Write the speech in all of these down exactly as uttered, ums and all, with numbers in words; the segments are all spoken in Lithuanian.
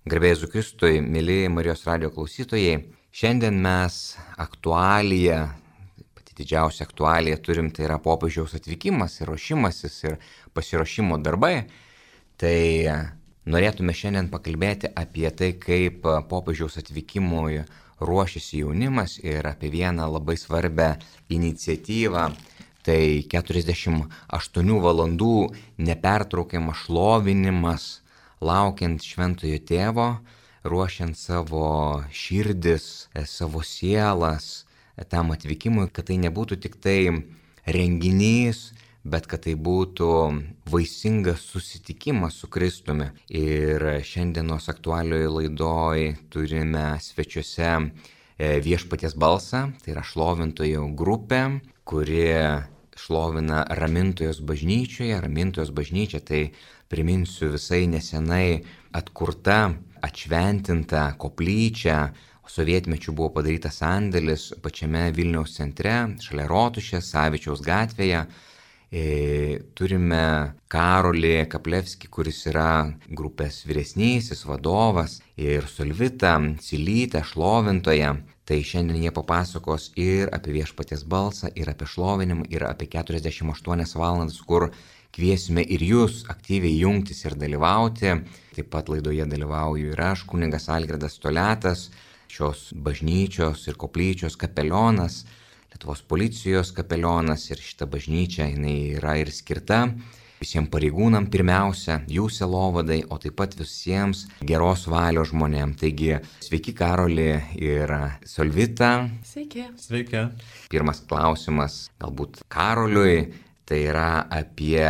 Garbėjai Jėzui Kristui, mėly Marijos radijo klausytojai, šiandien mes aktualiją, pati didžiausia aktualija turim, tai yra popiežiaus atvykimas ir ruošimasis ir pasiruošimo darbai. Tai norėtume šiandien pakalbėti apie tai, kaip popiežiaus atvykimui ruošiasi jaunimas ir apie vieną labai svarbią iniciatyvą. Tai keturiasdešimt aštuonių valandų nepertraukiamas šlovinimas, laukiant šventojo tėvo, ruošiant savo širdis, savo sielas tam atvykimui, kad tai nebūtų tik tai renginys, bet kad tai būtų vaisingas susitikimas su Kristumi. Ir šiandienos aktualioje laidoje turime svečiuose Viešpaties balsą, tai yra šlovintojų grupė, kuri šlovina Ramintojos bažnyčioje. Ramintojos bažnyčia tai, priminsiu, visai nesenai atkurta, atšventinta koplyčia. Sovietmečiu buvo padarytas sandėlis pačiame Vilniaus centre, šalia Rotušės, Savičiaus gatvėje. E, turime Karolį Kaplevskį, kuris yra grupės vyresnysis vadovas, ir Solvitą Cilytę, šlovintoją. Tai šiandien jie papasakos ir apie Viešpaties balsą, ir apie šlovinimą, ir apie keturiasdešimt aštuonias valandas, kur kviesime ir jūs aktyviai jungtis ir dalyvauti. Taip pat laidoje dalyvauju ir aš, kunigas Algirdas Toliatas, šios bažnyčios ir koplyčios kapelionas, Lietuvos policijos kapelionas, ir šita bažnyčia jinai yra ir skirta visiems pareigūnam pirmiausia, jų sielovadai, o taip pat visiems geros valios žmonėms. Taigi, sveiki Karoli ir Solvita. Sveiki. Sveiki. Pirmas klausimas galbūt Karoliui, tai yra apie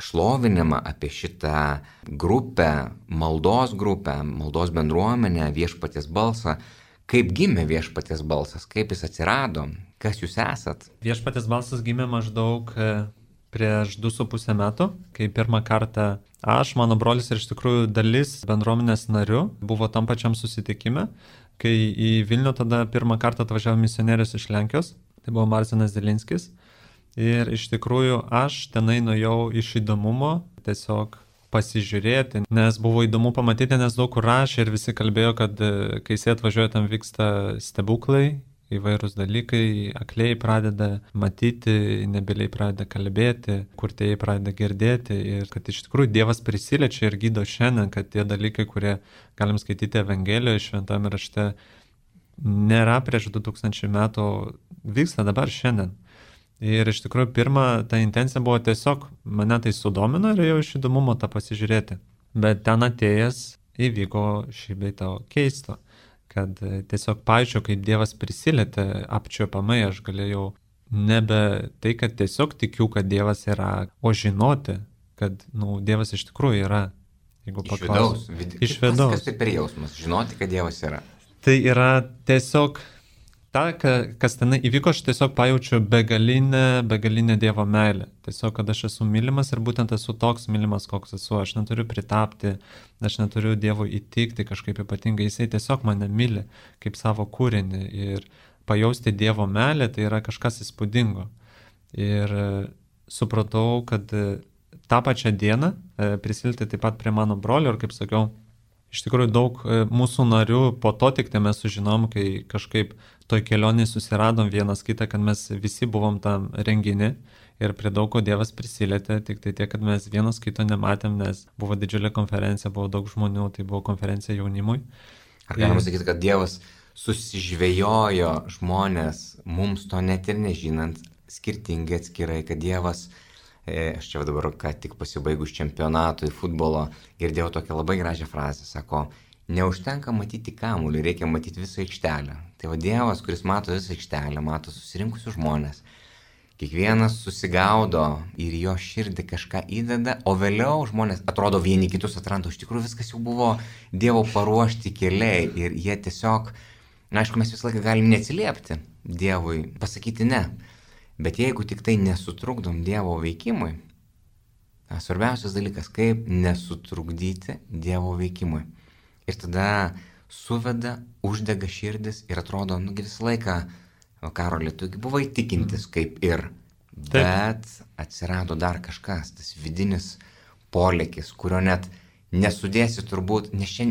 šlovinimą, apie šitą grupę, maldos grupę, maldos bendruomenę, Viešpaties balsą. Kaip gimė Viešpaties balsas, kaip jis atsirado, kas jūs esat? Viešpaties balsas gimė maždaug prieš du su pusę metų, kai pirmą kartą aš, mano brolis ir iš tikrųjų dalis bendruomenės narių buvo tam pačiam susitikime, kai į Vilnių tada pirmą kartą atvažiavo misionierius iš Lenkijos, tai buvo Marcinas Zelinskis. Ir iš tikrųjų aš tenai nuėjau iš įdomumo tiesiog pasižiūrėti, nes buvo įdomu pamatyti, nes daug kur rašė ir visi kalbėjo, kad kai jis atvažiuoja, tam vyksta stebuklai, įvairūs dalykai, akliai pradeda matyti, nebyliai pradeda kalbėti, kurtieji pradeda girdėti ir kad iš tikrųjų Dievas prisiliečia ir gydo šiandien, kad tie dalykai, kurie galim skaityti Evangelijoje, šventame rašte, nėra prieš du tūkstančiai metų, vyksta dabar šiandien. Ir iš tikrųjų pirma, ta intencija buvo tiesiog, mane tai sudomino ir jau iš įdomumo tą pasižiūrėti. Bet ten atėjęs įvyko šį bei to keisto, kad tiesiog paaiškiau, kaip Dievas prisilietė apčiuopamai, aš galėjau nebe tai, kad tiesiog tikiu, kad Dievas yra, o žinoti, kad nu, Dievas iš tikrųjų yra. Jeigu iš vidaus. Vid... Iš vidaus. Kas tai per jausmas, žinoti, kad Dievas yra? Tai yra tiesiog ta, kas ten įvyko, aš tiesiog pajaučiu begalinę, begalinę Dievo meilę. Tiesiog, kad aš esu mylimas ir būtent esu toks mylimas, koks esu. Aš neturiu pritapti, aš neturiu Dievo įtikti kažkaip ypatingai. Jisai tiesiog mane myli kaip savo kūrinį. Ir pajausti Dievo meilę tai yra kažkas įspūdingo. Ir supratau, kad tą pačią dieną prisilti taip pat prie mano brolio ir, kaip sakiau, iš tikrųjų daug mūsų narių po to tik tai mes sužinom, kai kažkaip toj kelionėje susiradom vienas kitą, kad mes visi buvom tam renginį ir prie daug ko Dievas prisilietė, tik tai tiek, kad mes vienas kito nematėm, nes buvo didžiulė konferencija, buvo daug žmonių, tai buvo konferencija jaunimui. Ar galima sakyti, kad Dievas susižvejojo žmonės, mums to net ir nežinant, skirtingai atskirai, kad Dievas, aš čia dabar, ką tik pasibaigus čempionatui futbolo, girdėjau tokią labai gražią frazę, sako, neužtenka matyti kamuolį, reikia matyti visą aikštelę. Tai va Dievas, kuris mato visą aikštelę, mato susirinkusius žmonės, kiekvienas susigaudo ir jo širdį kažką įdeda, o vėliau žmonės atrodo vieni kitus atranda, iš tikrųjų viskas jau buvo Dievo paruošti keliai ir jie tiesiog, na, aišku, mes visą laiką galim neatsiliepti Dievui, pasakyti ne. Bet jeigu tik tai nesutrukdom Dievo veikimui, svarbiausias dalykas, kaip nesutrukdyti Dievo veikimui. Ir tada suveda, uždega širdis ir atrodo, nugi visą laiką, o Karoli, tu buvai tikintis kaip ir, bet atsirado dar kažkas, tas vidinis polėkis, kurio net nesudėsi turbūt, nes čia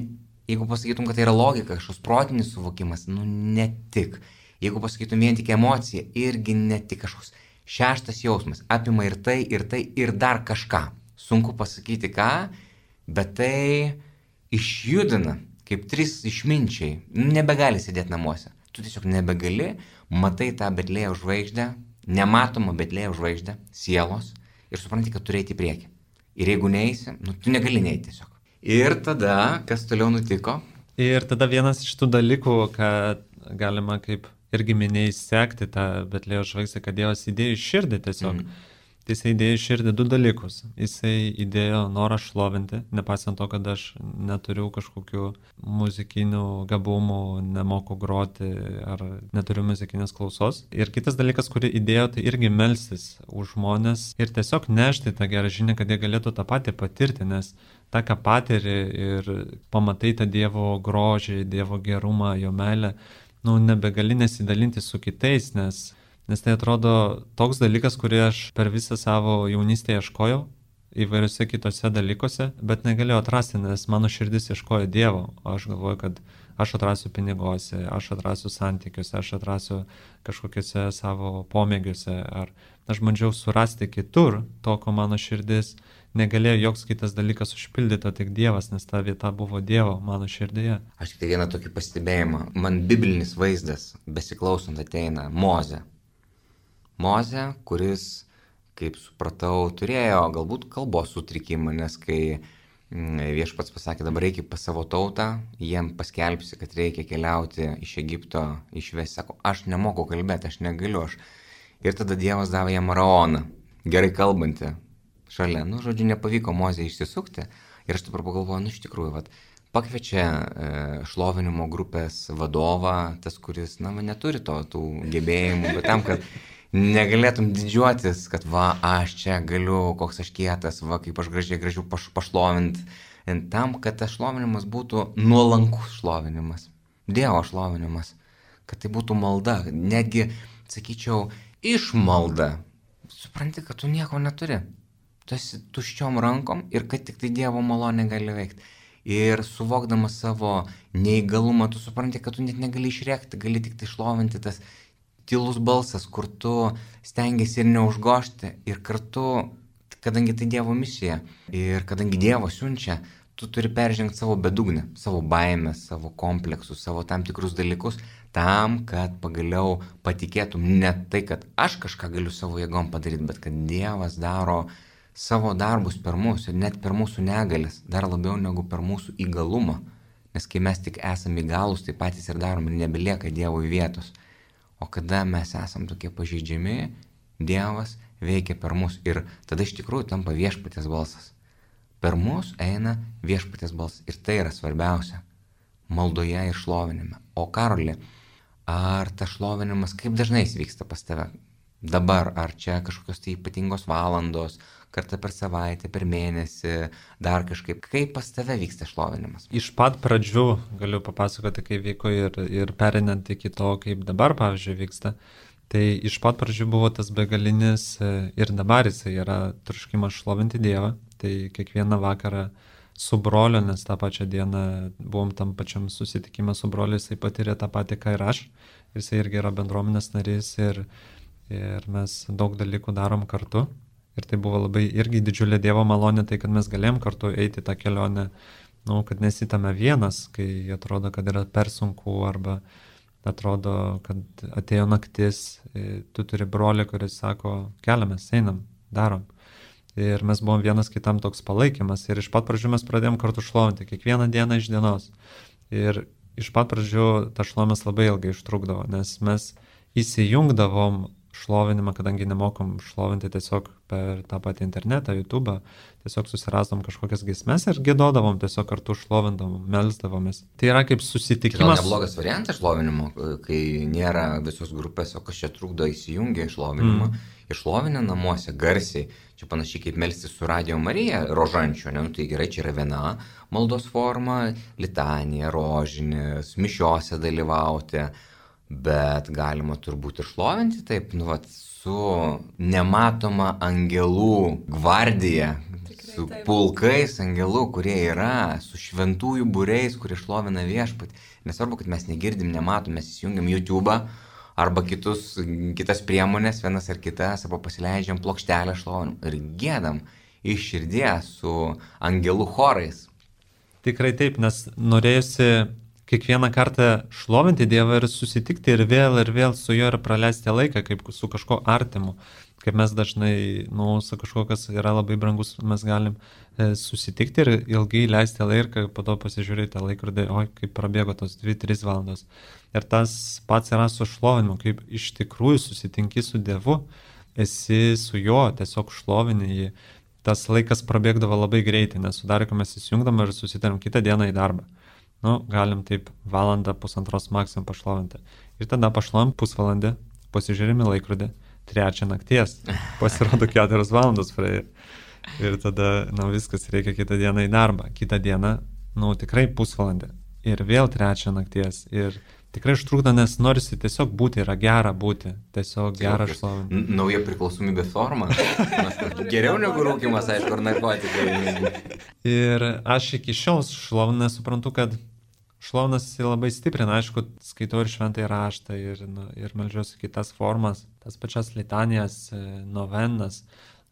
Jeigu pasakytum, kad tai yra logika, kažkoks protinis suvokimas, nu ne tik. Jeigu pasakytum vien tik emocija, irgi ne tik kažkoks šeštas jausmas. Apima ir tai, ir tai, ir dar kažką. Sunku pasakyti ką, bet tai išjudina, kaip trys išminčiai. Nebegali sėdėti namuose. Tu tiesiog nebegali, matai tą Betlėjaus žvaigždę, nematomą Betlėjaus žvaigždę, sielos, ir supranti, kad turi eiti į priekį. Ir jeigu neisi, nu tu negali neiti tiesiog. Ir tada, kas toliau nutiko? Ir tada vienas iš tų dalykų, kad galima kaip irgi minėjai sekti tą Betlėjaus žvaigždę, kad Dievas įdėjo į širdį tiesiog. Mm. Tai jisai įdėjo į širdį du dalykus. Jisai įdėjo norą šlovinti, nepaisant to, kad aš neturiu kažkokių muzikinių gabumų, nemoku groti ar neturiu muzikinės klausos. Ir kitas dalykas, kurį įdėjo, tai irgi melstis už žmonės ir tiesiog nešti tą gerą žinią, kad jie galėtų tą patį patirti, nes tą, ką patiri ir pamatai tą Dievo grožį, Dievo gerumą, jo meilę, nu, nebegali nesidalinti su kitais, nes, nes tai atrodo toks dalykas, kurį aš per visą savo jaunystę ieškojau įvairiose kitose dalykuose, bet negalėjau atrasti, nes mano širdis ieškojo Dievo. Aš galvoju, kad aš atrasiu piniguose, aš atrasiu santykiuose, aš atrasiu kažkokiuose savo pomėgiuose, ar aš bandžiau surasti kitur to, ko mano širdis negalėjo joks kitas dalykas užpildyti, tik Dievas, nes ta vieta buvo Dievo mano širdyje. Aš tik tai vieną tokį pastebėjimą. Man biblinis vaizdas, besiklausant, ateina Mozė. Mozė, kuris, kaip supratau, turėjo galbūt kalbos sutrikimą, nes kai viešpats pasakė, dabar reikia pas savo tautą, jiem paskelbsi, kad reikia keliauti iš Egipto, išvesti, sako, aš nemoku kalbėti, aš negaliu. Aš. Ir tada Dievas davė jam Araoną, gerai kalbantį, šalia. Nu, žodžiu, nepavyko Mozė išsisukti. Ir aš dabar pagalvoju, nu, iš tikrųjų, vat, pakviečia e, šlovinimo grupės vadovą, tas, kuris, na, neturi to, tų gebėjimų, bet tam, kad negalėtum didžiuotis, kad va, aš čia galiu, koks aš kietas, va, kaip aš gražiai gražiu paš, pašlovint. Tam, kad tas šlovinimas būtų nuolankus šlovinimas, Dievo šlovinimas, kad tai būtų malda, netgi, sakyčiau, išmalda. Supranti, kad tu nieko neturi. Tu esi tuščiom rankom ir kad tik tai Dievo malonė gali veikti. Ir suvokdamas savo neįgalumą, tu supranti, kad tu net negali išrėkti, gali tik tai šlovinti tas tylus balsas, kur tu stengiasi ir neužgošti, ir kartu, kadangi tai Dievo misija, ir kadangi Dievas siunčia, tu turi peržengti savo bedugnę, savo baimės, savo kompleksus, savo tam tikrus dalykus, tam, kad pagaliau patikėtum ne tai, kad aš kažką galiu savo jėgom padaryti, bet kad Dievas daro savo darbus per mus ir net per mūsų negalės, dar labiau negu per mūsų įgalumą. Nes kai mes tik esame įgalus, tai patys ir darom ir nebelieka Dievui vietos. O kada mes esam tokie pažeidžiami, Dievas veikia per mus ir tada iš tikrųjų tampa viešpaties balsas. Per mus eina viešpaties balsas ir tai yra svarbiausia maldoje ir šlovinime. O Karoli, ar tas šlovinimas, kaip dažnai jis vyksta pas tave? Dabar, ar čia kažkokios tai ypatingos valandos, kartą per savaitę, per mėnesį, dar kažkaip, kaip pas tave vyksta šlovinimas? Iš pat pradžių galiu papasakoti, kaip vyko ir, ir perinant iki to, kaip dabar, pavyzdžiui, vyksta. Tai iš pat pradžių buvo tas begalinis ir dabar jisai yra troškimas šlovinti Dievą. Tai kiekvieną vakarą su broliu, nes tą pačią dieną buvom tam pačiam susitikime su broliu, jisai patyrė tą patį, ką ir aš. Jisai irgi yra bendruomenės narys ir, ir mes daug dalykų darom kartu. Ir tai buvo labai irgi didžiulė Dievo malonė, tai kad mes galėjom kartu eiti tą kelionę, nu, kad nesitame vienas, kai atrodo, kad yra per sunku arba atrodo, kad atėjo naktis, tu turi brolį, kuris sako, keliamės, einam, darom. Ir mes buvom vienas kitam toks palaikymas ir iš pat pradžių mes pradėjom kartu šlovinti, kiekvieną dieną iš dienos. Ir iš pat pradžių ta šlovimas labai ilgai užtrukdavo, nes mes įsijungdavom šlovinimą, kadangi nemokom šlovinti tiesiog per tą patį internetą, YouTube, tiesiog susirasdom kažkokias giesmes ir giedodavom, tiesiog kartu šlovindavom, melsdavomės. Tai yra kaip susitikimas. Tai neblogas variantas šlovinimo, kai nėra visos grupės, o kas čia trukdo įsijungia šlovinimą. Mm. Išlovinę namuose garsiai, čia panašiai kaip melstis su Radio Marija rožančio, ne? Nu, tai gerai, čia yra viena maldos forma, litanija, rožinės, mišiose dalyvauti. bet galima turbūt ir šlovinti taip, nu, vat, su nematoma angelų gvardija, Tikrai su taip. pulkais angelų, kurie yra, su šventųjų būriais, kurie šlovina viešpatį. Nesvarbu, kad mes negirdim, nematom, mes įsijungiam YouTube'ą arba kitus, kitas priemonės, vienas ar kitas, arba pasileidžiam plokštelę šlovinam ir gėdam iš širdies su angelų chorais. Tikrai taip, nes norėjusi kiekvieną kartą šlovinti Dievą ir susitikti ir vėl ir vėl su juo ir praleisti laiką kaip su kažko artimu. Kaip mes dažnai, nu, su kažkuo, kas yra labai brangus, mes galim e, susitikti ir ilgai leisti laiką, po to pasižiūrėti tą laikrodį, oi, kaip prabėgo tos dvi tris valandos. Ir tas pats yra su šlovinimu, kaip iš tikrųjų susitinki su Dievu, esi su juo, tiesiog šlovini jį. Tas laikas prabėgdavo labai greitai, nes su Dariku mes įsijungdam ir susitarėm kitą dieną į darbą. Nu, galim taip valandą, pusantros maksimum pašlovinti. Ir tada pašlovim pusvalandį, pasižiūrime laikrodį, trečią nakties, pasirodo keturios valandos praėjo. Ir tada, nu, viskas, reikia kitą dieną į darbą. Kitą dieną, nu, tikrai pusvalandį. Ir vėl trečią nakties. Ir tikrai užtrukdo, nes norisi tiesiog būti, yra gera būti, tiesiog gera šlovinti. Nauja priklausomybė forma. Geriau negu rūkimas, aišku, ar narkotikai. Ir aš iki šiol šlovinę suprantu, kad šlovinas labai stiprina, aišku, skaitau ir šventąjį raštą ir, nu, ir meldžiuosi kitas formas, tas pačias litanijas, novenas,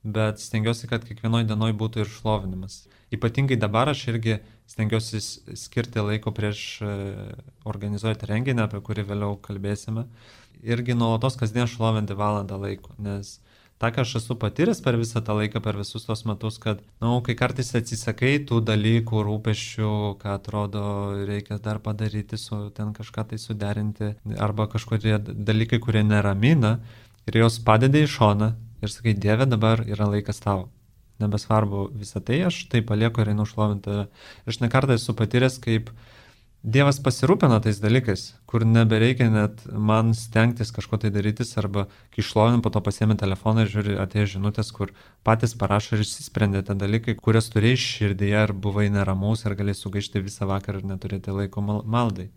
bet stengiuosi, kad kiekvienoje dienoje būtų ir šlovinimas. Ypatingai dabar aš irgi stengiuosi skirti laiko prieš organizuoti renginį, apie kurį vėliau kalbėsime. Irgi nuolatos kasdien šlovinti valandą laiko, nes tą, ką aš esu patyręs per visą tą laiką, per visus tos metus, kad, na, nu, kai kartais atsisakai tų dalykų, rūpesčių, ką atrodo reikia dar padaryti, su, ten kažką tai suderinti, arba kažkokie dalykai, kurie neramina, ir jos padedi į šoną ir sakai, Dieve, dabar yra laikas tau. Nebesvarbu visą tai, aš tai palieku ir einu šlovinti. Ir aš ne kartą esu patyręs, kaip Dievas pasirūpina tais dalykais, kur nebereikia net man stengtis kažko tai darytis, arba kai šlovin, po to pasiemi telefoną ir žiūri, atėjo žinutės, kur patys parašo ir išsisprendė tie dalykai, kurias turėjai širdyje ir buvai neramus ir galėjai sugaišti visą vakarą ir neturėti laiko mal- maldai.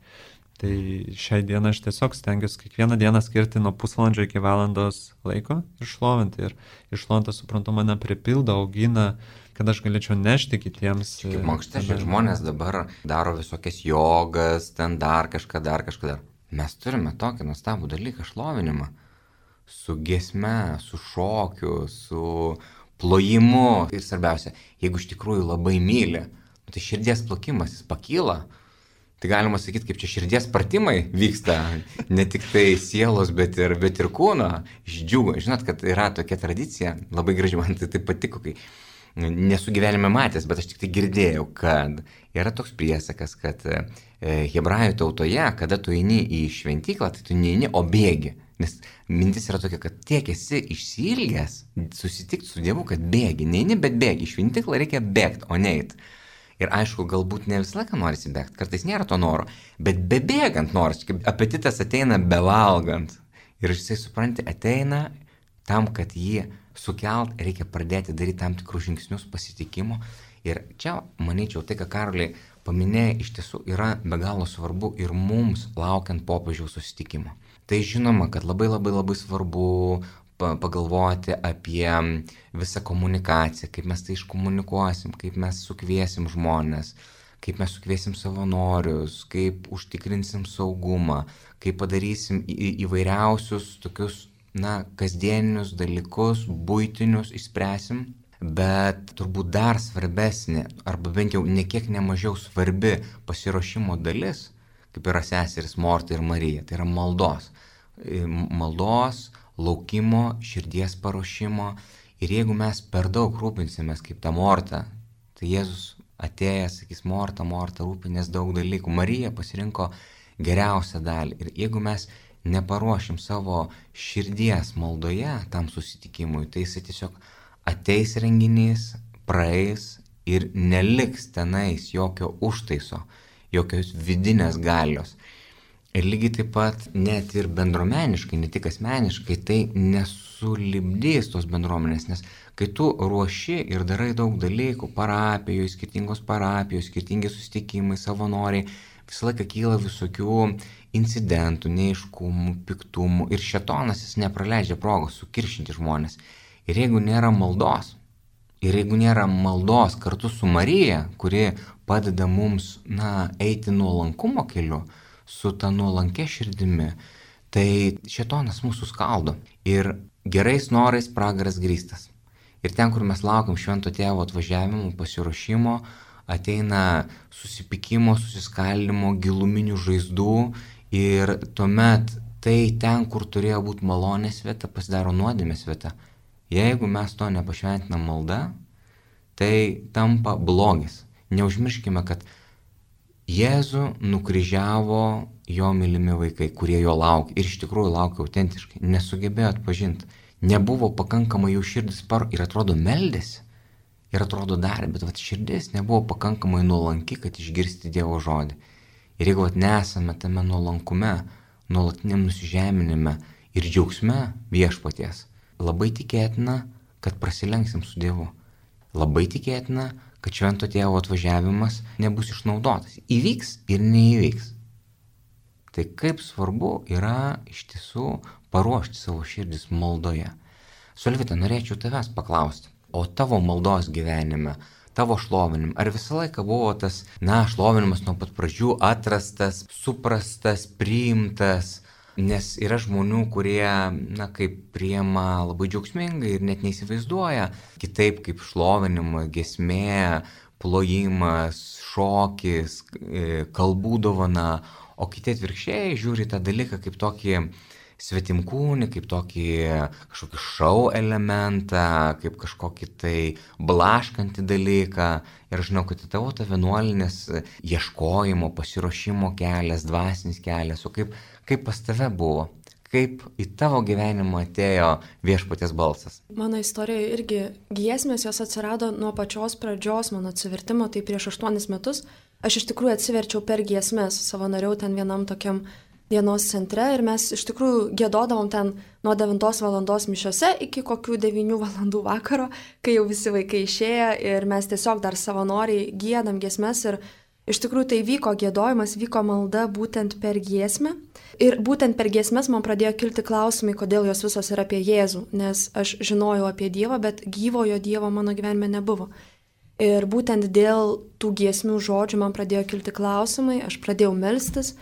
Tai šiai dieną aš tiesiog stengiuosi kiekvieną dieną skirti nuo pusvalandžio iki valandos laiko ir šlovinti. Ir iššlovintas, suprantu, mane pripildo, augina, kad aš galėčiau nešti kitiems. Kaip mankšta, šie žmonės dabar daro visokias jogas, ten dar kažką, dar kažką dar. Mes turime tokį nuostabų dalyką šlovinimą. Su giesme, su šokiu, su plojimu. Ir svarbiausia, jeigu iš tikrųjų labai myli, tai širdies plokimas, jis pakyla. Tai galima sakyti, kaip čia širdies pratimai vyksta, ne tik tai sielos, bet ir, bet ir kūno, išdžiugo. Žinot, kad yra tokia tradicija, labai graži, man tai, tai patiko, kai nesu gyvenime matęs, bet aš tik tai girdėjau, kad yra toks priesakas, kad e, hebrajų tautoje, kada tu eini į šventyklą, tai tu neini, o bėgi. Nes mintis yra tokia, kad tiek esi išsiilgęs susitikti su Dievu, kad bėgi. Neini, bet bėgi. Į šventyklą reikia bėgti, o neit. Ir aišku, galbūt ne visą laiką norisi bėgti, kartais nėra to noro, bet bebėgant norisi, kaip apetitas ateina bevalgant. Ir jisai, supranti, ateina tam, kad jį sukelt, reikia pradėti daryti tam tikrus žingsnius pasitikimo. Ir čia, manyčiau, tai, ką Karoliai paminėjai, iš tiesų yra be galo svarbu ir mums laukiant popiežiaus susitikimo. Tai žinoma, kad labai labai labai svarbu pagalvoti apie visą komunikaciją, kaip mes tai iškomunikuosim, kaip mes sukviesim žmonės, kaip mes sukviesim savanorius, kaip užtikrinsim saugumą, kaip padarysim į, įvairiausius tokius, na, kasdieninius dalykus, buitinius išspręsim, bet turbūt dar svarbesnė, arba bent jau nekiek nemažiau svarbi pasiruošimo dalis, kaip yra seseris Morta ir Marija, tai yra maldos. Maldos, laukimo, širdies paruošimo. Ir jeigu mes per daug rūpinsimės kaip ta Morta, tai Jėzus atėjęs, sakys, Morta, Morta, rūpinės daug dalykų. Marija pasirinko geriausią dalį. Ir jeigu mes neparuošim savo širdies maldoje tam susitikimui, tai jisai tiesiog ateis renginys, praeis ir neliks tenais jokio užtaiso, jokios vidinės galios. Ir lygiai taip pat net ir bendruomeniškai, ne tik asmeniškai, tai nesulibdys tos bendruomenės, nes kai tu ruoši ir darai daug dalykų, parapijoje, skirtingos parapijos, skirtingi susitikimai, savanoriai, visą laiką kyla visokių incidentų, neiškumų, piktumų ir šėtonas jis nepraleidžia progos sukiršinti žmonės. Ir jeigu nėra maldos, ir jeigu nėra maldos kartu su Marija, kuri padeda mums, na, eiti nuolankumo keliu, su ta nuolankia širdimi, tai šėtonas mūsų skaldo. Ir gerais norais pragaras grįstas. Ir ten, kur mes laukiam švento tėvo atvažiavimo, pasiruošimo, ateina susipykimo, susiskaldimo, giluminių žaizdų ir tuomet tai ten, kur turėjo būti malonės vieta, pasidaro nuodėmės vieta. Jeigu mes to nepašventinam malda, tai tampa blogis. Neužmirškime, kad Jėzų nukryžiavo jo mylimi vaikai, kurie jo laukia ir iš tikrųjų laukia autentiškai, nesugebėjo atpažinti, nebuvo pakankamai jų širdis par ir atrodo meldėsi ir atrodo dar, bet vat, širdis nebuvo pakankamai nuolanki, kad išgirsti Dievo žodį. Ir jeigu vat, nesame tame nuolankume, nuolatiniam nusižeminime ir džiaugsme viešpaties, labai tikėtina, kad prasilenksim su Dievu. Labai tikėtina, kad švento tėvo atvažiavimas nebus išnaudotas. Įvyks ir neįvyks. Tai kaip svarbu yra iš tiesų paruošti savo širdis maldoje. Solvita, norėčiau tavęs paklausti, o tavo maldos gyvenime, tavo šlovinim, ar visą laiką buvo tas, na, šlovinimas nuo pat pradžių atrastas, suprastas, priimtas, nes yra žmonių, kurie, na, kaip priima labai džiaugsmingai ir net neįsivaizduoja kitaip kaip šlovinimą, giesmė, plojimas, šokis, kalbų dovana, o kiti atvirkščiai žiūri tą dalyką kaip tokį svetimkūnį, kaip tokį kažkokį šou elementą, kaip kažkokį tai blaškantį dalyką. Ir aš žinau, kad tavo ta vienuolinės ieškojimo, pasiruošimo kelias, dvasinis kelias, o kaip, kaip pas tave buvo, kaip į tavo gyvenimą atėjo viešpaties balsas. Mano istorijoje irgi giesmės jos atsirado nuo pačios pradžios mano atsivertimo, tai prieš aštuonis metus. Aš iš tikrųjų atsiverčiau per giesmės, savanoriau ten vienam tokiam dienos centre ir mes iš tikrųjų giedodavom ten nuo devintos valandos mišiose iki kokių devynių valandų vakaro, kai jau visi vaikai išėjo ir mes tiesiog dar savanoriai giedam giesmes ir iš tikrųjų tai vyko giedojimas, vyko malda būtent per giesmę. Ir būtent per giesmes man pradėjo kilti klausimai, kodėl jos visos yra apie Jėzų, nes aš žinojau apie Dievą, bet gyvojo Dievo mano gyvenime nebuvo. Ir būtent dėl tų giesmių žodžių man pradėjo kilti klausimai, aš pradėjau melstis.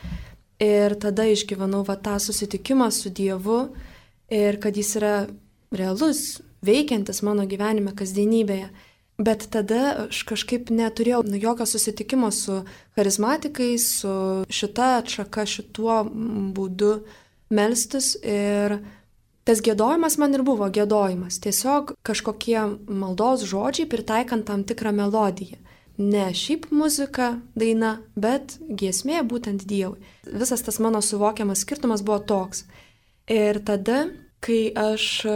Ir tada išgyvenau va tą susitikimą su Dievu ir kad jis yra realus, veikiantis mano gyvenime, kasdienybėje. Bet tada aš kažkaip neturėjau nu, jokio susitikimo su charizmatikais, su šita atšaka, šituo būdu melstis. Ir tas giedojimas man ir buvo giedojimas. Tiesiog kažkokie maldos žodžiai pritaikant tam tikrą melodiją. Ne šiaip muzika, daina, bet giesmė būtent Dievui. Visas tas mano suvokiamas skirtumas buvo toks. Ir tada, kai aš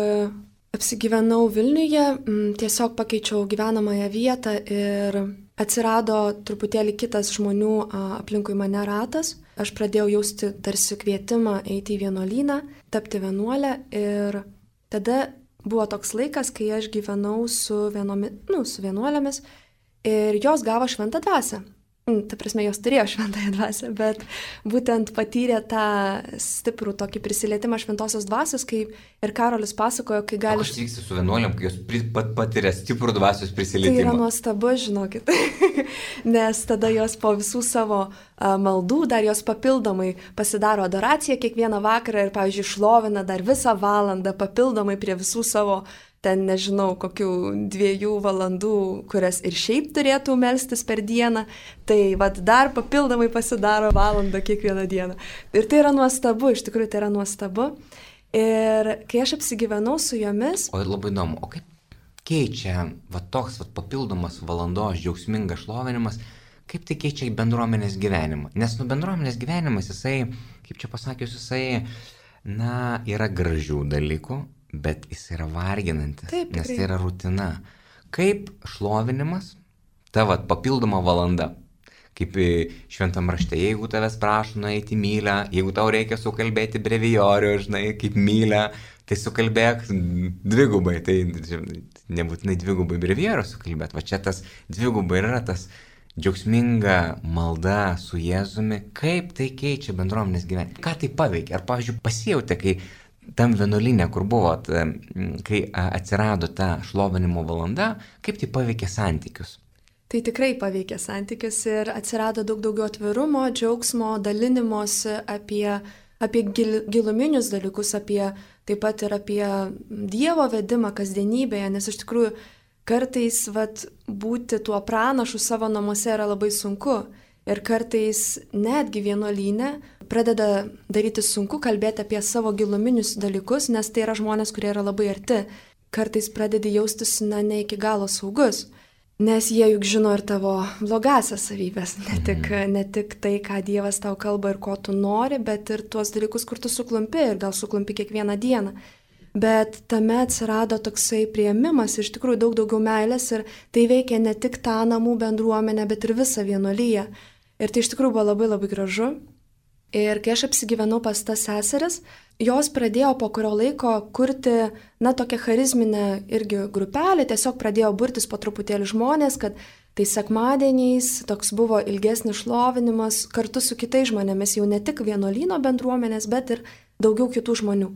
apsigyvenau Vilniuje, tiesiog pakeičiau gyvenamąją vietą ir atsirado truputėlį kitas žmonių aplinkui mane ratas. Aš pradėjau jausti tarsi kvietimą eiti į vienuolyną, tapti vienuolę ir tada buvo toks laikas, kai aš gyvenau su, vienomi, nu, su vienuolėmis. Ir jos gavo šventą dvasią. Ta prasme, jos turėjo šventąją dvasią, bet būtent patyrė tą stiprų tokį prisilietimą šventosios dvasios, kai ir Karolis pasakojo, kai gali... O kas vyksta su vienuolėm, kai jos pat patiria stiprų dvasios prisilietimą? Tai yra nuostabu, žinokit. Nes tada jos po visų savo a, maldų, dar jos papildomai pasidaro adoraciją kiekvieną vakarą ir, pavyzdžiui, šlovina dar visą valandą papildomai prie visų savo ten nežinau, kokių dviejų valandų, kurias ir šiaip turėtų melstis per dieną, tai vad dar papildomai pasidaro valandą kiekvieną dieną. Ir tai yra nuostabu, iš tikrųjų tai yra nuostabu. Ir kai aš apsigyvenau su jomis... O labai įdomu, o kaip keičia va toks va papildomas valandos džiaugsmingas šlovinimas, kaip tai keičia bendruomenės gyvenimą? Nes nu bendruomenės gyvenimas, jisai, kaip čia pasakius, jisai, na, yra gražių dalykų, bet jis yra varginantis, taip, nes tai yra rutina. Kaip šlovinimas, ta vat, papildoma valanda, kaip šventam rašte, jeigu tavęs prašo nueiti mylę, jeigu tau reikia sukalbėti brevijorių, žinai, kaip mylę, tai sukalbėk dvigubai, tai nebūtinai dvigubai brevijorių sukalbėt, va čia tas dvigubai yra tas džiaugsminga malda su Jėzumi, kaip tai keičia bendruomenės gyvenimą, ką tai paveikia, ar pavyzdžiui pasijautė, kai tam vienuolyne, kur buvot, kai atsirado ta šlovinimo valanda, kaip tai paveikė santykius? Tai tikrai paveikė santykius ir atsirado daug daugiau atvirumo, džiaugsmo, dalinimosi apie, apie gil, giluminius dalykus, apie, taip pat ir apie Dievo vedimą kasdienybėje, nes iš tikrųjų kartais vat, būti tuo pranašu savo namuose yra labai sunku ir kartais netgi vienuolyne pradeda daryti sunku kalbėti apie savo giluminius dalykus, nes tai yra žmonės, kurie yra labai arti. Kartais pradedi jaustis na, ne iki galo saugus. Nes jie juk žino ir tavo blogasias savybės, ne tik, ne tik tai, ką Dievas tau kalba ir ko tu nori, bet ir tuos dalykus, kur tu suklumpi ir gal suklumpi kiekvieną dieną. Bet tame atsirado toksai priėmimas, iš tikrųjų daug daugiau meilės ir tai veikia ne tik tą namų bendruomenę, bet ir visą vienuolyją. Ir tai iš tikrųjų buvo labai labai gražu. Ir kai aš apsigyvenau pas tas seseris, jos pradėjo po kurio laiko kurti, na, tokią charizminę irgi grupelę, tiesiog pradėjo burtis po truputėlį žmonės, kad tai sekmadieniais toks buvo ilgesnis šlovinimas kartu su kitais žmonėmis, jau ne tik vienuolyno bendruomenės, bet ir daugiau kitų žmonių.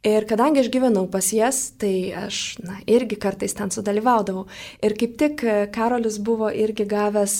Ir kadangi aš gyvenau pas jas, tai aš, na, irgi kartais ten sudalyvaudavau. Ir kaip tik Karolis buvo irgi gavęs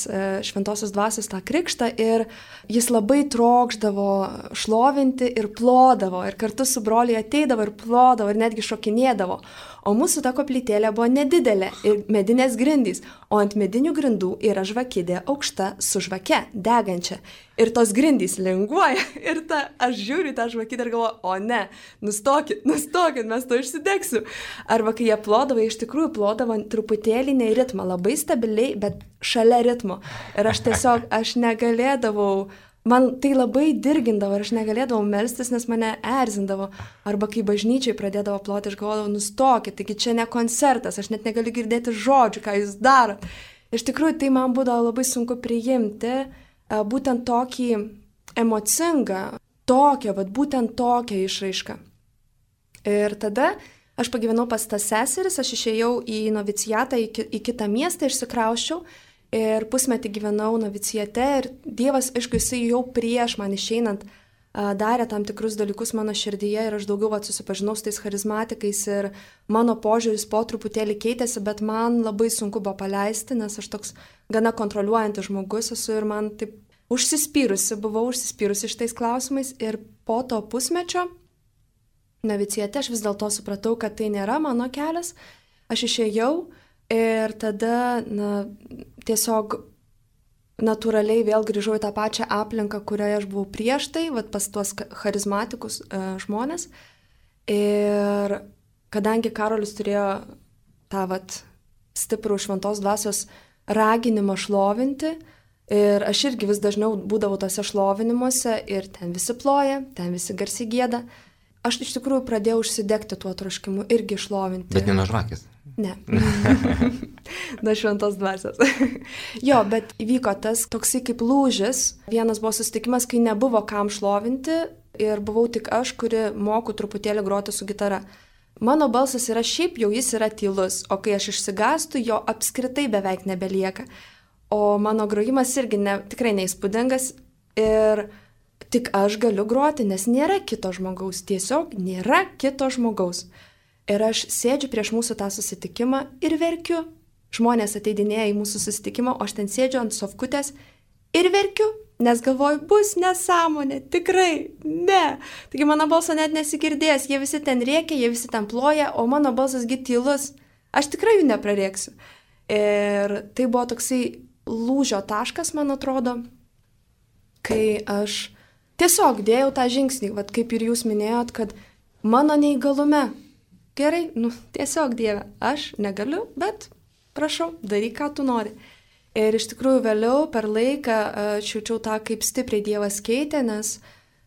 šventosios dvasios tą krikštą ir jis labai trokšdavo šlovinti ir plodavo. Ir kartu su broliu ateidavo ir plodavo ir netgi šokinėdavo. O mūsų ta koplytėlė buvo nedidelė ir medinės grindys, o ant medinių grindų yra žvakidė aukšta su žvake, degančia. Ir tos grindys linguoja ir ta, aš žiūriu tą žvakidę ir galvoju, o ne, nustokit, nustokit, mes to išsidegsiu. Arba kai jie plodavo, iš tikrųjų plodavo truputėlį ne į ritmą, labai stabiliai, bet šalia ritmo. Ir aš tiesiog, aš negalėdavau, man tai labai dirgindavo ir aš negalėdavau melstis, nes mane erzindavo. Arba kai bažnyčiai pradėdavo ploti, aš galvodavau, nustokit, taigi čia ne koncertas, aš net negaliu girdėti žodžių, ką jūs darot. Iš tikrųjų, tai man būdavo labai sunku priimti būtent tokį emocingą, tokią, vat, būtent tokią išraišką. Ir tada aš pagyvenau pas tas seseris, aš išėjau į novicijatą, į, ki, į kitą miestą, išsikrausčiau. Ir pusmetį gyvenau novicijate ir Dievas, aišku, jisai jau prieš man išeinant darė tam tikrus dalykus mano širdyje ir aš daugiau vat, susipažinau su tais charizmatikais ir mano požiūris po truputėlį keitėsi, bet man labai sunku buvo paleisti, nes aš toks gana kontroliuojantis žmogus esu ir man taip užsispyrusi, buvau užsispyrusi šitais klausimais ir po to pusmečio novicijate aš vis dėlto supratau, kad tai nėra mano kelias, aš išėjau. Ir tada na, tiesiog natūraliai vėl grįžau į tą pačią aplinką, kurioje aš buvau prieš tai, vat, pas tuos charizmatikus e, žmonės. Ir kadangi Karolis turėjo tą vat, stiprų šventos dvasios raginimą šlovinti, ir aš irgi vis dažniau būdavau tose šlovinimuose ir ten visi ploja, ten visi garsiai gieda, aš iš tikrųjų pradėjau užsidegti tuo troškimu irgi šlovinti. Bet ne nuo žvakės. Ne. Nuo šventos dvasios. Jo, bet įvyko tas toksai kaip lūžis. Vienas buvo susitikimas, kai nebuvo kam šlovinti ir buvau tik aš, kuri moku truputėlį groti su gitara. Mano balsas yra šiaip jau jis yra tylus, o kai aš išsigastu, jo apskritai beveik nebelieka. O mano grojimas irgi ne, tikrai neįspūdingas ir tik aš galiu groti, nes nėra kito žmogaus, tiesiog nėra kito žmogaus. Ir aš sėdžiu prieš mūsų tą susitikimą ir verkiu. Žmonės ateidinėja į mūsų susitikimą, o aš ten sėdžiu ant sofkutės ir verkiu, nes galvoju, bus nesąmonė, tikrai, ne. Taigi mano balso net nesigirdės, jie visi ten rėkia, jie visi ten ploja, o mano balsas gi tylus. Aš tikrai jų neprarėksiu. Ir tai buvo toksai lūžio taškas, man atrodo, kai aš tiesiog dėjau tą žingsnį, vat kaip ir jūs minėjot, kad mano neįgalume, gerai, nu tiesiog Dieve, aš negaliu, bet prašau, daryk, ką tu nori. Ir iš tikrųjų vėliau per laiką aš jaučiau tą, kaip stipriai Dievas keitė, nes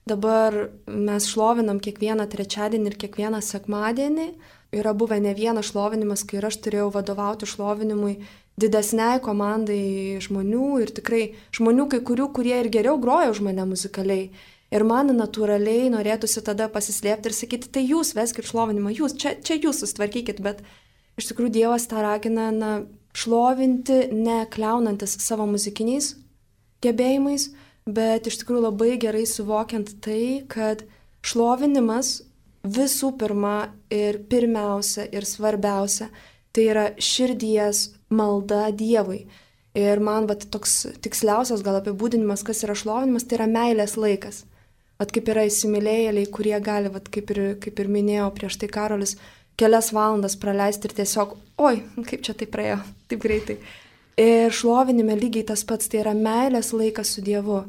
dabar mes šlovinam kiekvieną trečiadienį ir kiekvieną sekmadienį. Yra buvę ne vienas šlovinimas, kai aš turėjau vadovauti šlovinimui didesniai komandai žmonių ir tikrai žmonių kai kurių, kurie ir geriau groja už mane muzikaliai. Ir man natūraliai norėtųsi tada pasislėpti ir sakyti, tai jūs veskit šlovinimą, jūs, čia, čia jūs susitvarkykit, bet iš tikrųjų Dievas tą ragina na, šlovinti, ne kliaunantis savo muzikiniais gebėjimais, bet iš tikrųjų labai gerai suvokiant tai, kad šlovinimas visų pirma ir pirmiausia ir svarbiausia, tai yra širdies malda Dievui. Ir man vat, toks tiksliausias gal apibūdinimas, kas yra šlovinimas, tai yra meilės laikas. Vat kaip yra įsimylėjėliai, kurie gali, vat, kaip, ir, kaip ir minėjo prieš tai Karolis, kelias valandas praleisti ir tiesiog, oi, kaip čia tai praėjo, taip greitai. Ir šlovinime lygiai tas pats, tai yra meilės laikas su Dievu.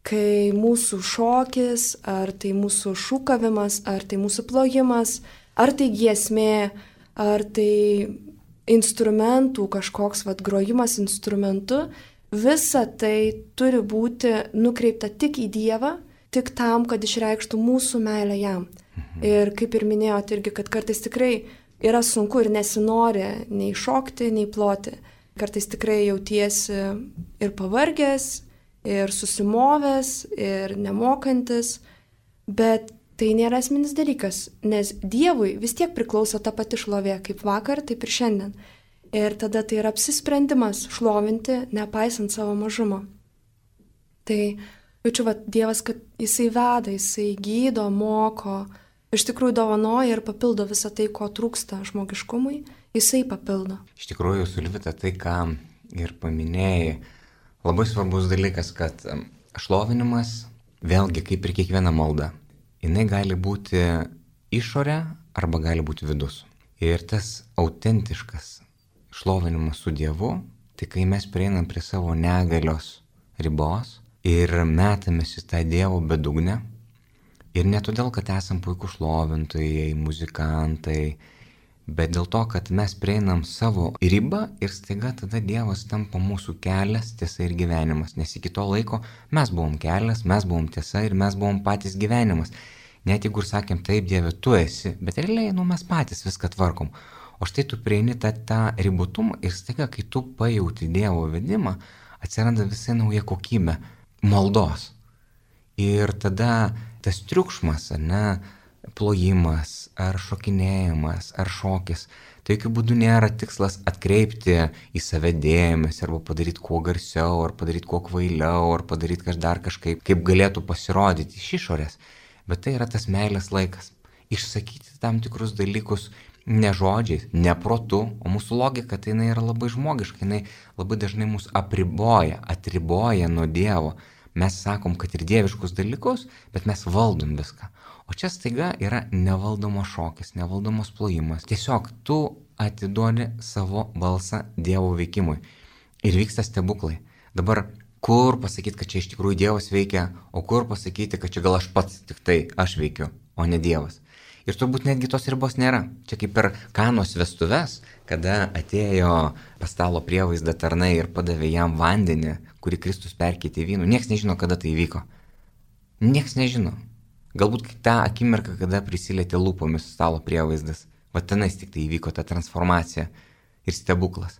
Kai mūsų šokis, ar tai mūsų šūkavimas, ar tai mūsų plojimas, ar tai giesmė, ar tai instrumentų kažkoks vat, grojimas instrumentu, visa tai turi būti nukreipta tik į Dievą, tik tam, kad išreikštų mūsų meilę jam. Mhm. Ir kaip ir minėjote irgi, kad kartais tikrai yra sunku ir nesinori nei šokti, nei ploti. Kartais tikrai jautiesi ir pavargęs, ir susimovęs, ir nemokantis, bet tai nėra esminis dalykas, nes Dievui vis tiek priklauso ta pati šlovė, kaip vakar, taip ir šiandien. Ir tada tai yra apsisprendimas šlovinti, nepaisant savo mažumo. Tai jaučiu, va, Dievas, kad jisai veda, jisai gydo, moko, iš tikrųjų dovanoja ir papildo visą tai, ko trūksta žmogiškumui, jisai papildo. Iš tikrųjų, Sulvita, tai, ką ir paminėjai, labai svarbus dalykas, kad šlovinimas, vėlgi kaip ir kiekviena malda, jinai gali būti išorė arba gali būti vidus. Ir tas autentiškas šlovinimas su Dievu, tai kai mes prieinam prie savo negalios ribos ir metamės į tą Dievo bedugnę, ir ne todėl, kad esam puikūs šlovintojai, muzikantai, bet dėl to, kad mes prieinam savo ribą ir staiga tada Dievas tampa mūsų kelias, tiesa ir gyvenimas. Nes iki to laiko mes buvom kelias, mes buvom tiesa ir mes buvom patys gyvenimas. Net jeigu ir sakėm, taip Dieve, tu esi, bet realiai nu, mes patys viską tvarkom. O štai tu prieini tą, tą ribotumą ir staiga, kai tu pajauti Dievo vedimą, atsiranda visai nauja kokybė maldos. Ir tada tas triukšmas, ne, plojimas, ar šokinėjimas, ar šokis, tai jokių būdų nėra tikslas atkreipti į save dėmesį, arba padaryti kuo garsiau, ar padaryti kuo kvailiau, ar padaryti kaž dar kažkaip, kaip galėtų pasirodyti iš išorės. Bet tai yra tas meilės laikas. Išsakyti tam tikrus dalykus ne žodžiais, ne protu, o mūsų logika tai jinai yra labai žmogiška, jinai labai dažnai mus apriboja, atriboja nuo Dievo. Mes sakom, kad ir dieviškus dalykus, bet mes valdom viską. O čia staiga yra nevaldomas šokis, nevaldomas plojimas. Tiesiog tu atiduodi savo balsą Dievo veikimui. Ir vyksta stebuklai. Dabar kur pasakyti, kad čia iš tikrųjų Dievas veikia, o kur pasakyti, kad čia gal aš pats tik tai aš veikiu, o ne Dievas. Ir turbūt netgi tos ribos nėra. Čia kaip per Kanos vestuves, kada atėjo pas stalo prievaizdą tarnai ir padavė jam vandenį, kurį Kristus perkeitė į vynų. Niekas nežino, kada tai įvyko. Niekas nežino. Galbūt tą akimirką, kada prisilietė lūpomis stalo prievaizdas. Va tenais tik tai įvyko ta transformacija ir stebuklas.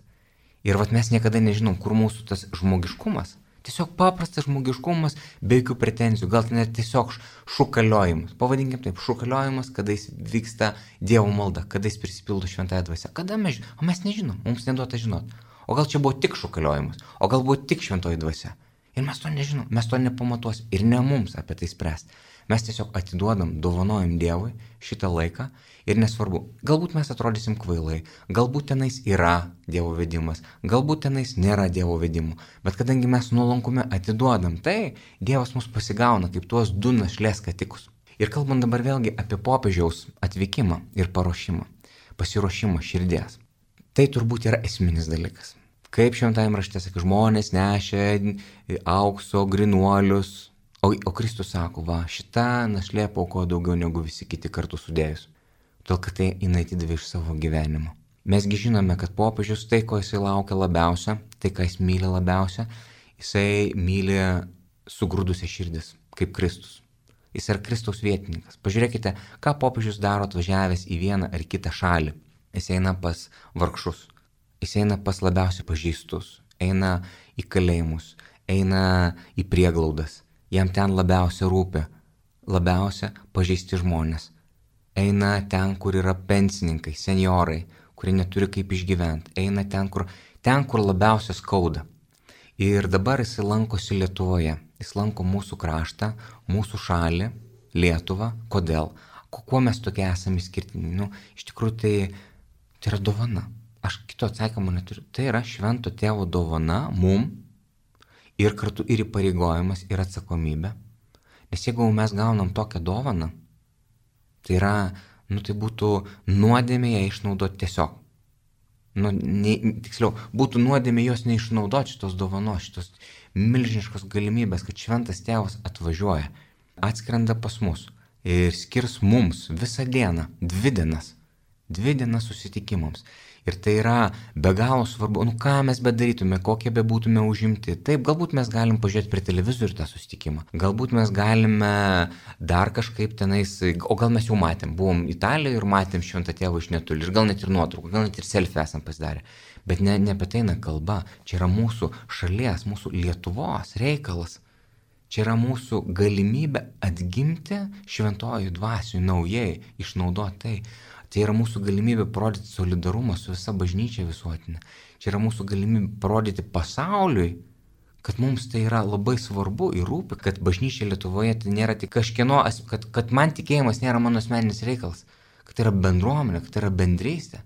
Ir va mes niekada nežinom, kur mūsų tas žmogiškumas. Tiesiog paprastas žmogiškumas, be jokių pretenzijų, gal tai net tiesiog šūkaliojimas. Pavadinkim taip, šūkaliojimas, kada jis vyksta Dievo malda, kada jis prisipildo šventąją dvasią. Kada mes žinom? O mes nežinom, mums neduota žinot. O gal čia buvo tik šūkaliojimas, o gal buvo tik šventoji dvasia. Ir mes to nežinom, mes to nepamatuosim ir ne mums apie tai spręsti. Mes tiesiog atiduodam, dovanojam Dievui šitą laiką ir nesvarbu, galbūt mes atrodysim kvailai, galbūt tenais yra Dievo vedimas, galbūt tenais nėra Dievo vedimų, bet kadangi mes nuolankume atiduodam, tai Dievas mus pasigauna kaip tuos du našlės skatikus. Ir kalbant dabar vėlgi apie popiežiaus atvykimą ir paruošimą, pasiruošimą širdies, tai turbūt yra esminis dalykas. Kaip šventajame rašte sakė, žmonės nešė aukso, grinuolius, O, o Kristus sako, va, šita našlė paukojo daugiau negu visi kiti kartu sudėjus. Todėl, kad tai jinai atidavė iš savo gyvenimo. Mesgi žinome, kad popiežius tai, ko jisai laukia labiausia, tai, ką jis myli labiausia, jisai myli sugrūdusią širdis, kaip Kristus. Jis yra Kristaus vietininkas. Pažiūrėkite, ką popiežius daro atvažiavęs į vieną ar kitą šalį. Jis eina pas vargšus. Jis eina pas labiausiai pažeistus, eina į kalėjimus, eina į prieglaudas. Jam ten labiausia rūpi, labiausia pažeisti žmonės. Eina ten, kur yra pensininkai, senjorai, kurie neturi kaip išgyventi. Eina ten, kur, ten, kur labiausia skauda. Ir dabar jis lankosi Lietuvoje. Jis lanko mūsų kraštą, mūsų šalį, Lietuvą. Kodėl? Kuo mes tokie esame skirtini? Nu, iš tikrųjų tai, tai yra dovana. Aš kito atsakymo neturiu. Tai yra švento tėvo dovana mum ir kartu ir įpareigojimas ir atsakomybė. Nes jeigu mes gaunam tokią dovaną, tai yra, nu tai būtų nuodėmė ją išnaudoti tiesiog. Nu, ne, tiksliau, būtų nuodėmė jos neišnaudoti šitos dovanos, šitos milžiniškos galimybės, kad šventas tėvas atvažiuoja, atskrenda pas mus ir skirs mums visą dieną, dvi dienas, dvi dienas susitikimams. Ir tai yra be galo svarbu, nu ką mes bedarytume, kokie bebūtume užimti. Taip, galbūt mes galim pažiūrėti prie televizorių tą susitikimą, galbūt mes galime dar kažkaip tenais, o gal mes jau matėm, buvom Italijoje ir matėm šventą tėvą iš netoli, ir gal net ir nuotraukų, gal net ir selfie esam pasidarę. Bet ne, ne apie tai eina kalba, čia yra mūsų šalies, mūsų Lietuvos reikalas. Čia yra mūsų galimybė atgimti šventojų dvasių naujai, išnaudoti tai. Tai yra mūsų galimybė parodyti solidarumą su visa bažnyčia visuotinė. Čia yra mūsų galimybė parodyti pasauliui, kad mums tai yra labai svarbu ir rūpi, kad bažnyčia Lietuvoje tai nėra tik kažkieno, kad, kad man tikėjimas nėra mano asmeninis reikalas, kad tai yra bendruomenė, kad tai yra bendrystė.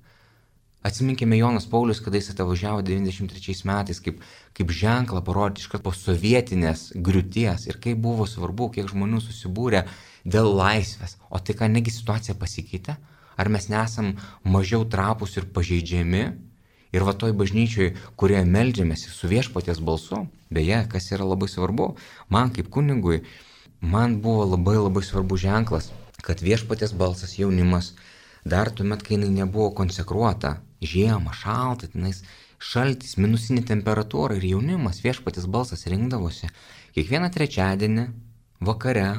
Atsiminkime Jonas Paulius, kada jis atvažiavo devyniasdešimt trečiais metais, kaip, kaip ženklą parodyti iškart po sovietinės griūties ir kaip buvo svarbu, kiek žmonių susibūrė dėl laisvės. O tai ką, negi situacija pasikeitė? Ar mes nesam mažiau trapūs ir pažeidžiami? Ir va toj bažnyčioj, kurioje meldžiamės su viešpaties balsu, beje, kas yra labai svarbu, man kaip kunigui, man buvo labai labai svarbu ženklas, kad viešpaties balsas jaunimas, dar tuomet, kai jinai nebuvo konsekruota, žiemą, šalta, tenais šaltis, minusinė temperatūra ir jaunimas, viešpaties balsas rinkdavosi kiekvieną trečiadienį vakare.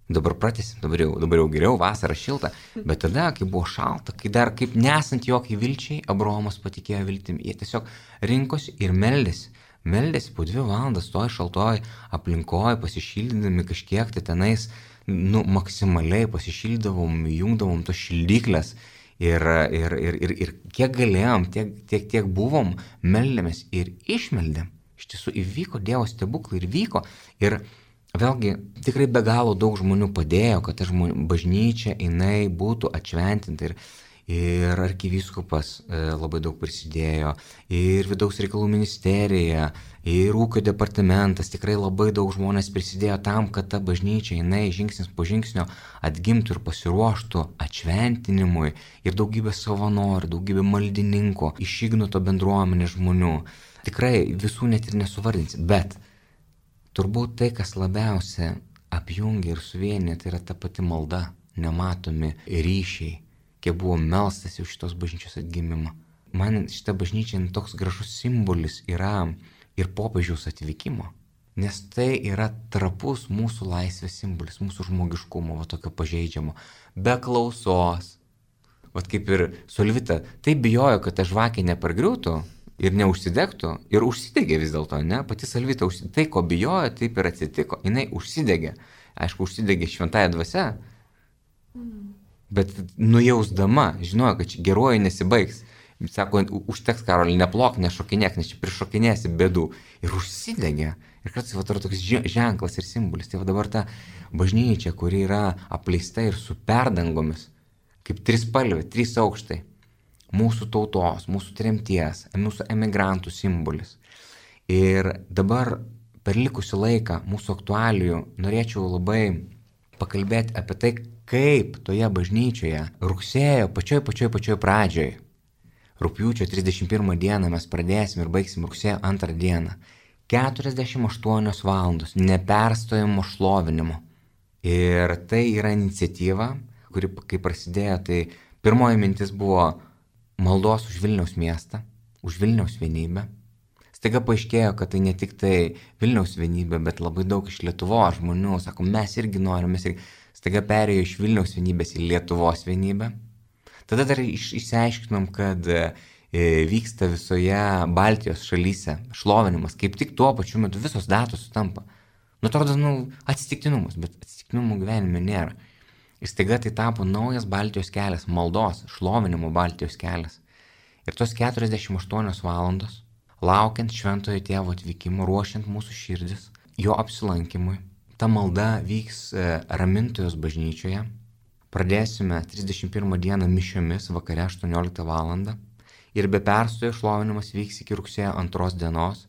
Dabar pratęsim, dabar jau, dabar jau geriau, vasara šilta, bet tada, kai buvo šalta, kai dar kaip nesant jokiai vilčiai, Abraomas patikėjo viltim, jie tiesiog rinkosi ir meldėsi, meldėsi po dvi valandas toj šaltoj aplinkoj, pasišildydami kažkiek tai tenais, nu, maksimaliai pasišildavom, jungdavom tos šildyklės ir, ir, ir, ir, ir kiek galėjom, tiek, tiek, tiek buvom, meldėmės ir išmeldėm. Iš tiesų įvyko Dievo stebuklai ir vyko ir vėlgi, tikrai be galo daug žmonių padėjo, kad ta žmonių, bažnyčia jinai būtų atšventinta ir, ir arkivyskupas e, labai daug prisidėjo, ir vidaus reikalų ministerija, ir ūkio departamentas, tikrai labai daug žmonės prisidėjo tam, kad ta bažnyčia jinai žingsnis po žingsnio atgimtų ir pasiruoštų atšventinimui ir daugybė savanorių, daugybė maldininkų, iš Ignoto bendruomenės žmonių. Tikrai visų net ir nesuvardinsi, bet turbūt tai, kas labiausia apjungia ir suvienyje, tai yra ta pati malda, nematomi ryšiai, kiek buvo melstas už šitos bažnyčios atgimimą. Man šita bažnyčia toks gražus simbolis yra ir popiežiaus atvykimo, nes tai yra trapus mūsų laisvės simbolis, mūsų žmogiškumo, va tokio pažeidžiamo, be klausos. Vat kaip ir Solvita, taip bijojo, kad ta žvakė nepargriūtų, ir neužsidegtų, ir užsidegė vis dėlto, ne? Pati Salvita, užsidegė. Tai, ko bijojo, taip ir atsitiko. Jinai užsidegė. Aišku, užsidegė šventąja dvasia, mm. bet nujausdama, žinojo, kad čia geruoju nesibaigs. Sako, užteks, Karoli, neplok, nešokinėk, nes čia prišokinėsi bėdų. Ir užsidegė. Ir kartais va toks ženklas ir simbolis. Tai va dabar ta bažnyčia, kuri yra apleista ir su perdangomis, kaip trispalvė, trys aukštai. Mūsų tautos, mūsų tremties, mūsų emigrantų simbolis. Ir dabar per likusį laiką mūsų aktualijų norėčiau labai pakalbėti apie tai, kaip toje bažnyčioje rugsėjo pačioj pačioj pačioj pradžioj, rugpjūčio trisdešimt pirmą dieną mes pradėsim ir baigsim rugsėjo antrą dieną, keturiasdešimt aštuonios valandos neperstojimo šlovinimo. Ir tai yra iniciatyva, kuri kai prasidėjo, tai pirmoji mintis buvo maldos už Vilniaus miestą, už Vilniaus vienybę. Staiga paaiškėjo, kad tai ne tik tai Vilniaus vienybė, bet labai daug iš Lietuvos žmonių sako, mes irgi norim, mes irgi. Staiga perėjo iš Vilniaus vienybės į Lietuvos vienybę. Tada dar iš, išsiaiškinom, kad vyksta visoje Baltijos šalyse šlovinimas, kaip tik tuo pačiu metu visos datos sutampa. Nu, atrodo, nu, atsitiktinumus, bet atsitiktinumų gyvenime nėra. Ir staiga tai tapo naujas Baltijos kelias, maldos, šlovinimo Baltijos kelias. Ir tos keturiasdešimt aštuonios valandos, laukiant šventojo tėvo atvykimo, ruošiant mūsų širdis, jo apsilankimui, ta malda vyks Ramintojos bažnyčioje. Pradėsime trisdešimt pirmą dieną mišiomis vakare aštuonioliktą valandą ir be perstojo šlovinimas vyks iki rugsėjo antros dienos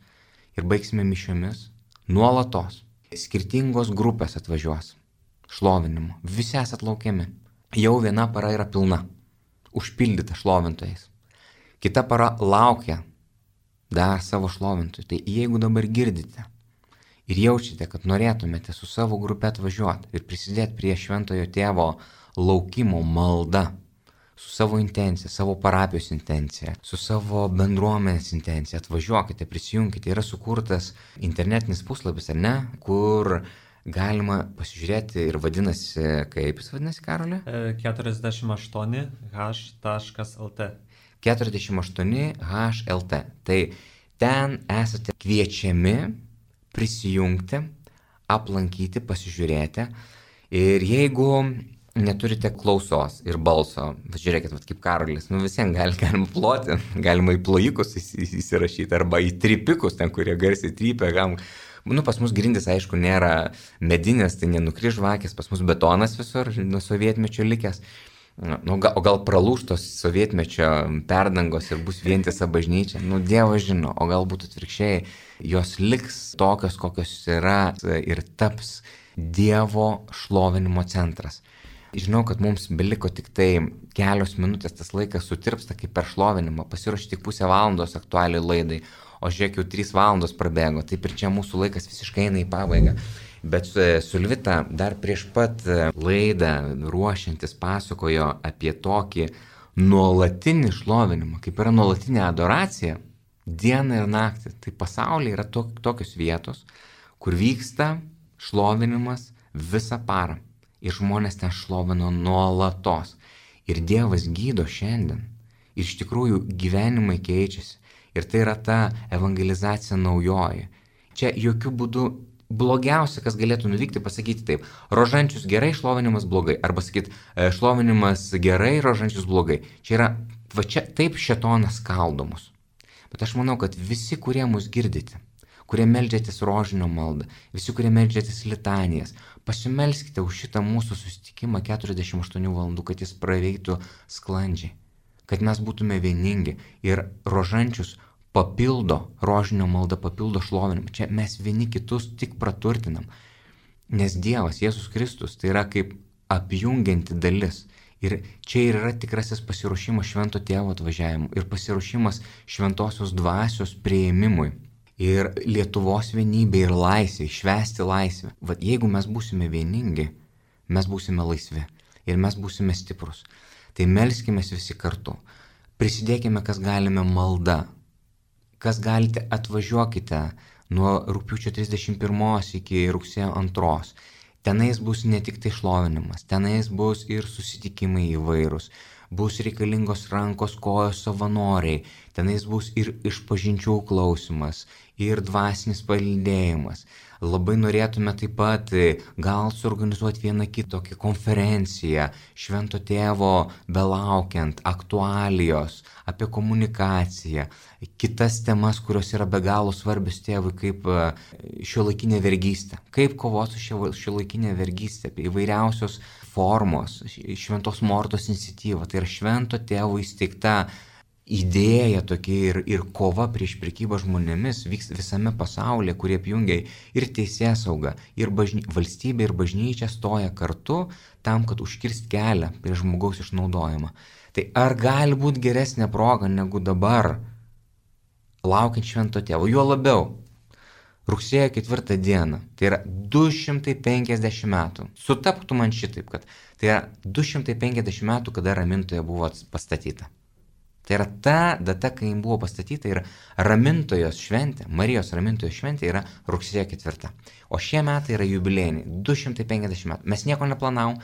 ir baigsime mišiomis nuolatos. Skirtingos grupės atvažiuos šlovinimo. Visi esat laukiami. Jau viena para yra pilna, užpildyta šlovintojais. Kita para laukia dar savo šlovintojų. Tai jeigu dabar girdite ir jaučiate, kad norėtumėte su savo grupe atvažiuoti ir prisidėti prie šventojo tėvo laukimo malda, su savo intencija, savo parapijos intencija, su savo bendruomenės intencija, atvažiuokite, prisijungkite. Yra sukurtas internetinis puslapis, ar ne, kur galima pasižiūrėti ir vadinasi, kaip jis vadinasi, Karoli? keturiasdešimt aštuoni h taškas l t. keturiasdešimt aštuoni h l t. Tai ten esate kviečiami prisijungti, aplankyti, pasižiūrėti. Ir jeigu neturite klausos ir balso, žiūrėkit, vat, kaip Karolis, nu visiems gali, galima ploti, galima į plojikus įsirašyti arba į tripikus, ten, kurie garsiai trypia. Gal, nu, pas mus grindis, aišku, nėra medinės, tai nenukris žvakės, pas mus betonas visur, nuo sovietmečio likęs. Nu, gal, o gal pralūštos sovietmečio perdangos ir bus vientisa bažnyčia, nu, Dievas žino, o galbūt atvirkščiai, jos liks tokios, kokios yra ir taps Dievo šlovinimo centras. Žinau, kad mums beliko tik tai kelios minutės, tas laikas sutirpsta kaip per šlovinimą, pasiruošti tik pusę valandos aktualiai laidai, o žiūrėk, jau trys valandos prabėgo, taip ir čia mūsų laikas visiškai eina į pabaigą. Bet Sulvita dar prieš pat laidą ruošiantis pasakojo apie tokį nuolatinį šlovinimą, kaip yra nuolatinė adoracija, dieną ir naktį. Tai pasaulyje yra to, tokios vietos, kur vyksta šlovinimas visą parą. Ir žmonės ten šlovino nuolatos. Ir Dievas gydo šiandien. Ir iš tikrųjų gyvenimai keičiasi. Ir tai yra ta evangelizacija naujoji. Čia jokių būdų blogiausia, kas galėtų nuvykti, pasakyti taip. Rožančius gerai, šlovinimas blogai. Arba sakyti, šlovinimas gerai, rožančius blogai. Čia yra, va čia taip šėtonas skaldomus. Bet aš manau, kad visi, kurie mus girdite, kurie meldžiatės rožinio maldą, visi, kurie meldžiatės litanijas, pasimelskite už šitą mūsų susitikimą keturiasdešimt aštuonių valandų, kad jis praveiktų sklandžiai, kad mes būtume vieningi ir rožančius papildo, rožinio malda papildo šlovinimą. Čia mes vieni kitus tik praturtinam, nes Dievas, Jėzus Kristus, tai yra kaip apjungianti dalis. Ir čia ir yra tikrasis pasiruošimas švento tėvo atvažiavimui ir pasiruošimas šventosios dvasios priėmimui. Ir Lietuvos vienybė ir laisvė, švęsti laisvę. Vat jeigu mes būsime vieningi, mes būsime laisvi ir mes būsime stiprus. Tai melskime visi kartu. Prisidėkime, kas galime malda. Kas galite, atvažiuokite nuo rugpjūčio trisdešimt pirmos iki rugsėjo antros. Tenais bus ne tik tai šlovinimas, tenais bus ir susitikimai įvairūs. Bus reikalingos rankos, kojos savanoriai, tenais bus ir išpažinčių klausimas, ir dvasinis palydėjimas. Labai norėtume taip pat gal suorganizuoti vieną kitokią konferenciją, švento tėvo belaukiant, aktualijos, apie komunikaciją, kitas temas, kurios yra be galo svarbios tėvui, kaip šiuolaikinė vergystė, kaip kovoti su šiuolaikinė vergystė, apie įvairiausios formos, šventos Mortos iniciatyva, tai yra švento tėvo įsteigta idėja tokia ir, ir kova prieš prekybą žmonėmis vyks visame pasaulyje, kurie apjungia ir teisėsaugą, ir bažny... valstybė ir bažnyčia stoja kartu tam, kad užkirst kelią prieš žmogaus išnaudojimą. Tai ar gali būti geresnė proga negu dabar laukiant švento tėvo? Juo labiau, rugsėjo ketvirtą dieną, tai yra du šimtai penkiasdešimt metų. Sutaptų man šitaip, kad tai yra du šimtai penkiasdešimt metų, kada Ramintoje buvo pastatyta. Tai yra ta data, kai jin buvo pastatyta, ir Ramintojos šventė, Marijos Ramintojos šventė yra rugsėjo ketvirta. O šie metai yra jubiliejiniai, du šimtai penkiasdešimt metų. Mes nieko neplanavom,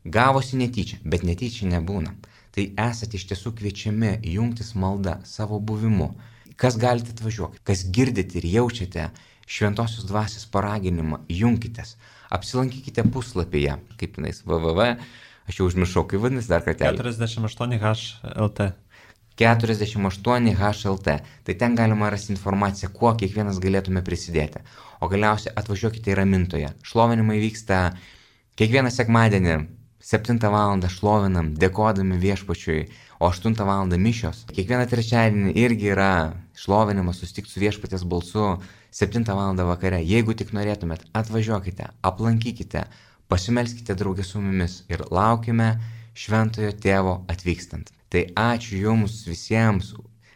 gavosi netyčia, bet netyčia nebūna. Tai esate iš tiesų kviečiami jungtis malda savo buvimu. Kas galite atvažiuoti, kas girdite ir jaučiate šventosios dvasios paraginimą, junkitės. Apsilankykite puslapyje, kaip jinais, www, aš jau užmiršau, kaip vadinasi dar kartelį. keturiasdešimt aštuoni H L T. keturiasdešimt aštuoni H L T. Tai ten galima rasti informaciją, kuo kiekvienas galėtume prisidėti. O galiausiai atvažiuokite į Ramintoją. Šlovinimai vyksta kiekvieną sekmadienį, septintą valandą šlovinam, dėkodami viešpačiui, o aštuntą valandą mišios. Kiekvieną trečiadienį irgi yra šlovinimas, susitikti su viešpaties balsu, septintą valandą vakare. Jeigu tik norėtumėt, atvažiuokite, aplankykite, pasimelskite draugė su mumis ir laukime Šventojo Tėvo atvykstant. Tai ačiū Jums visiems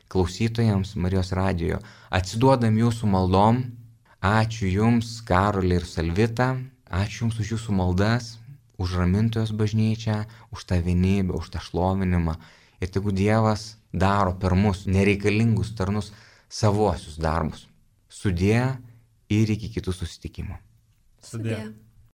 klausytojams Marijos radijo. Atsiduodam Jūsų maldom. Ačiū Jums, Karolė ir Salvita. Ačiū Jums už Jūsų maldas, už Ramintojos bažnyčią, už tą vienybę, už tą šlovinimą. Ir tegu Dievas daro per mus nereikalingus tarnus savuosius darbus. Sudie ir iki kitų susitikimų. Sudie.